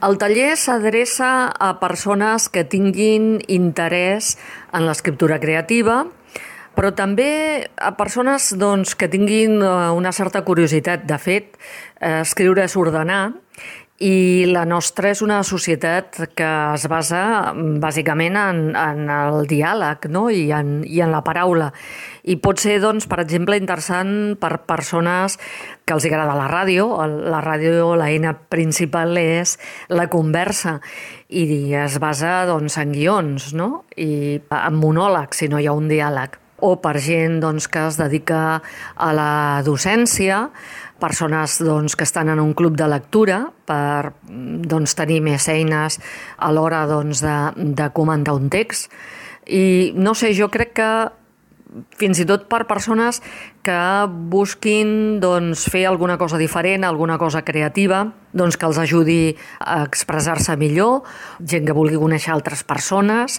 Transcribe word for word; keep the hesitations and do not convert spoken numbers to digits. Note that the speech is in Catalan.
El taller s'adreça a persones que tinguin interès en l'escriptura creativa, però també a persones doncs, que tinguin una certa curiositat. De fet, escriure és ordenar, i la nostra és una societat que es basa bàsicament en, en el diàleg, no? I, en, i en la paraula. I pot ser, doncs, per exemple, interessant per persones que els agrada la ràdio. La ràdio, l'eina principal és la conversa i es basa doncs, en guions, no? I en monòlegs, si no hi ha un diàleg. O per gent doncs, que es dedica a la docència, persones doncs, que estan en un club de lectura per doncs, tenir més eines a l'hora doncs, de, de comentar un text. I no sé, jo crec que fins i tot per persones que busquin doncs, fer alguna cosa diferent, alguna cosa creativa, doncs, que els ajudi a expressar-se millor, gent que vulgui conèixer altres persones.